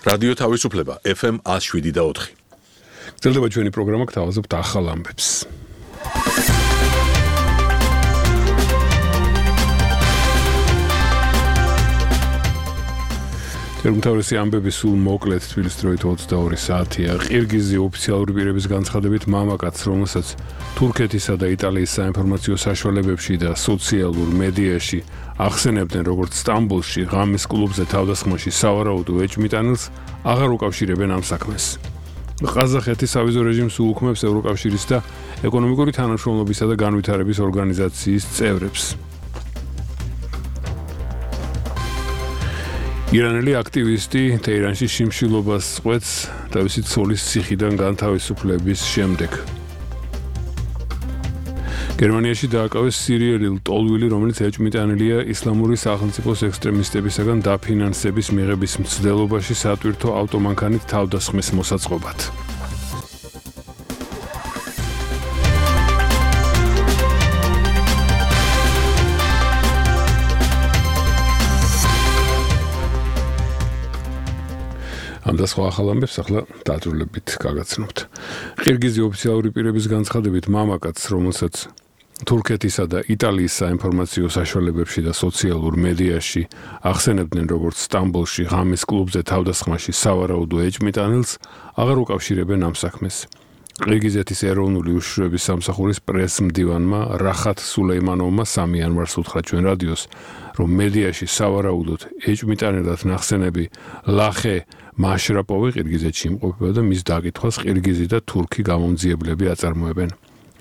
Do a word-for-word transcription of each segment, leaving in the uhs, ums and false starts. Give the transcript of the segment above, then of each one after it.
რადიო თავისუფლება F M one oh seven და four. გრძელდება ჩვენი პროგრამა, გთავაზობთ ახალ ამბებს. თერმოთავრისი ამბები სულ მოკლედ თბილისის დროით ოცდაორი საათია. ყირგიზი ოფიციალური პირების განცხადებით მამაკაცს, რომელსაც თურქეთისა და იტალიის საინფორმაციო საშუალებებში და სოციალურ მედიაში ახსენებდნენ როგორც სტამბოლში ღამის კლუბზე თავდასხმაში სავარაუდო ეჭვმიტანილს, აღარ უკავშირებენ ამ საქმეს. ყაზახეთის სავიზო რეჟიმს უუქმებს ევროკავშირის და ეკონომიკური თანამშრომლობისა და განვითარების ორგანიზაციის წევრებს. ირანელი აქტივისტი თეირანში შიმშილობას წყვეტს თავისი ცოლის ციხიდან განთავისუფლების შემდეგ. გერმანიაში დააკავეს სირიელი ლტოლვილი, რომელიც ეჭვმიტანილია ისლამური სახელმწიფოს ექსტრემისტებისაგან დაფინანსების მიღების მცდელობაში სატვირთო ავტომანქანით თავდასხმის მოსაწყობად. ამ და სხვა ახალ ამბებს ახლა დაწვრილებით გაგაცნობთ. ყირგიზი ოფიციალური პირების განცხადებით მამაკაცს, რომელსაც თურქეთისა და იტალიის საინფორმაციო საშუალებებში და სოციალურ მედიაში ახსენებდნენ როგორც სტამბოლში ღამის კლუბზე თავდასხმაში სავარაუდო ეჭვმიტანილს, აღარ უკავშირებენ ამ საქმეს. ყირგიზეთის ეროვნული უშიშროების სამსახურის პრესმდივანმა რახათ სულეიმანოვმა სამი იანვარს უთხრა ჩვენ რადიოს, რომ მედიაში სავარაუდოდ ეჭვმიტანილად ნახსენები ლახე მაშრაპოვი ყირგიზეთში იმყოფება და მის დაკითხვას ყირგიზი და თურქი გამომძიებლები აწარმოებენ.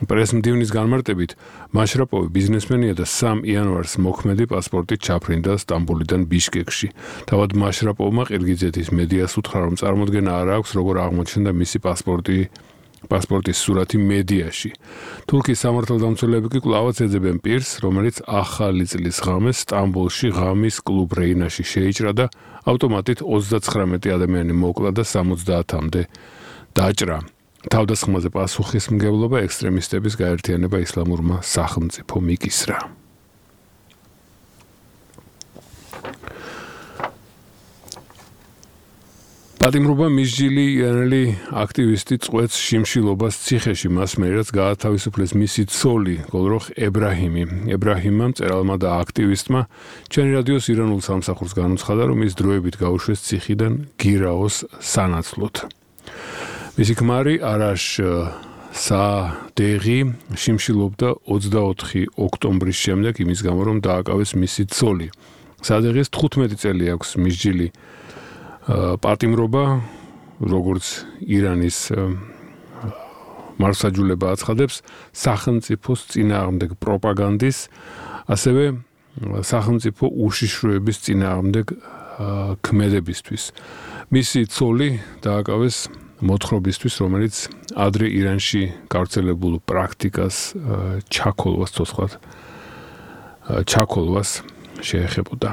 პრესმდივნის განმარტებით, მაშრაპოვი ბიზნესმენია და სამი იანვარს მოქმედი პასპორტით ჩაფრინდა სტამბოლიდან ბიშკეკში. თავად მაშრაპოვმა ყირგიზეთის მედიას უთხრა, რომ წარმოდგენა არ აქვს, როგორ აღმოჩნდა მისი პასპორტი პასპორტის სურათი მედიაში. თურქის სამართალდამცველები კი კვლავაც ეძებენ პირს, რომელიც ახალი წლის ღამეს სტამბოლში ღამის კლუბ რეინაში შეიჭრა და ავტომატით ოცდაცხრამეტი ადამიანი მოკლა და სამოცდაათამდე დაჭრა. თავდასხმაზე პასუხისმგებლობა ექსტრემისტების გაერთიანება ისლამურმა სახელმწიფო მიკისრა. პატიმრობა მისჯილი ირანელი აქტივისტი წყვეტს შიმშილობას ციხეში მას მერე, რაც გაათავისუფლეს მისი ცოლი გოლროხ ებრაჰიმი. ებრაჰიმმა, მწერალმა და აქტივისტმა ჩვენი რადიოს ირანულ სამსახურს განუცხადა, რომ ის დროებით გაუშვეს ციხიდან გირაოს სანაცვლოდ. მისი ქმარი არაშ სადეღი შიმშილობდა ოცდაოთხი ოქტომბრის შემდეგ იმის გამო, რომ დააკავეს მისი ცოლი. სადეღის თხუთმეტი წელი აქვს მისჯილი პატიმრობა, როგორც ირანის მართლმსაჯულება აცხადებს, სახელმწიფოს წინააღმდეგ პროპაგანდის, ასევე სახელმწიფო უშიშროების წინააღმდეგ ქმედებისთვის. მისი ცოლი დააკავეს მოთხრობისთვის, რომელიც ადრე ირანში გავრცელებულ პრაქტიკას ჩაქოლვას, ცოცხლად ჩაქოლვას შეეხებოდა.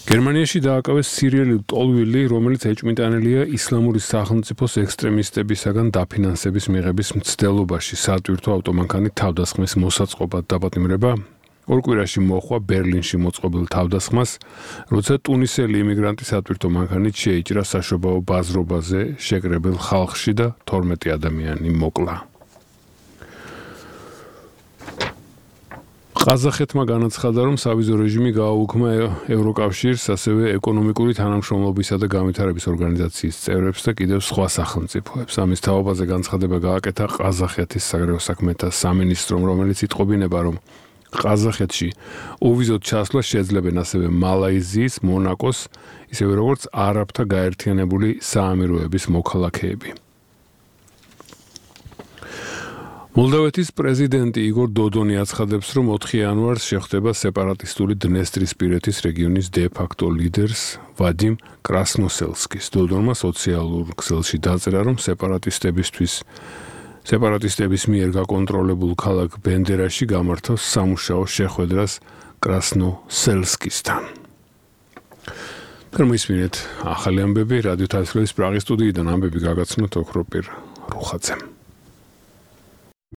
გერმანიაში დააკავეს სირიელი ლტოლვილი, რომელიც ეჭვმიტანილია ისლამური სახელმწიფოს ექსტრემისტებისაგან დაფინანსების მიღების მცდელობაში სატვირთო ავტომანქანით თავდასხმის მოსაწყობად. დაპატიმრება ორ კვირაში მოჰყვა ბერლინში მოწყობილ თავდასხმას, როცა ტუნისელი იმიგრანტი სატვირთო მანქანით შეიჭრა საშობაო ბაზრობაზე შეკრებილ ხალხში და თორმეტი ადამიანი მოკლა. ყაზახეთმა განაცხადა, რომ სავიზო რეჟიმი გააუქმა ევროკავშირს, ასევე ეკონომიკური თანამშრომლობისა და განვითარების ორგანიზაციის წევრებს და კიდევ სხვა სახელმწიფოებს. ამის თაობაზე განცხადება გააკეთა ყაზახეთის საგარეო საქმეთა სამინისტრომ, რომელიც იტყობინება, რომ ყაზახეთში უვიზოდ ჩასვლა შეძლებენ ასევე მალაიზიის, მონაკოს, ისევე როგორც არაბთა გაერთიანებული საამიროების მოქალაქეები. მოლდოვეთის პრეზიდენტი იგორ დოდონი აცხადებს, რომ ოთხი იანვარს შეხვდება სეპარატისტული დნესტრისპირეთის რეგიონის დე-ფაქტო ლიდერს ვადიმ კრასნოსელსკის. დოდონმა სოციალურ ქსელში დაწერა, რომ სეპარატისტებისთვის სეპარატისტების მიერ გაკონტროლებულ ქალაქ ბენდერაში გამართავს სამუშაო შეხვედრას კრასნოსელსკისთან. მოისმინეთ ახალი ამბები რადიო თავისუფლების პრაღის სტუდიიდან. ამბები გაგაცნოთ ოქროპირ რუხაძემ.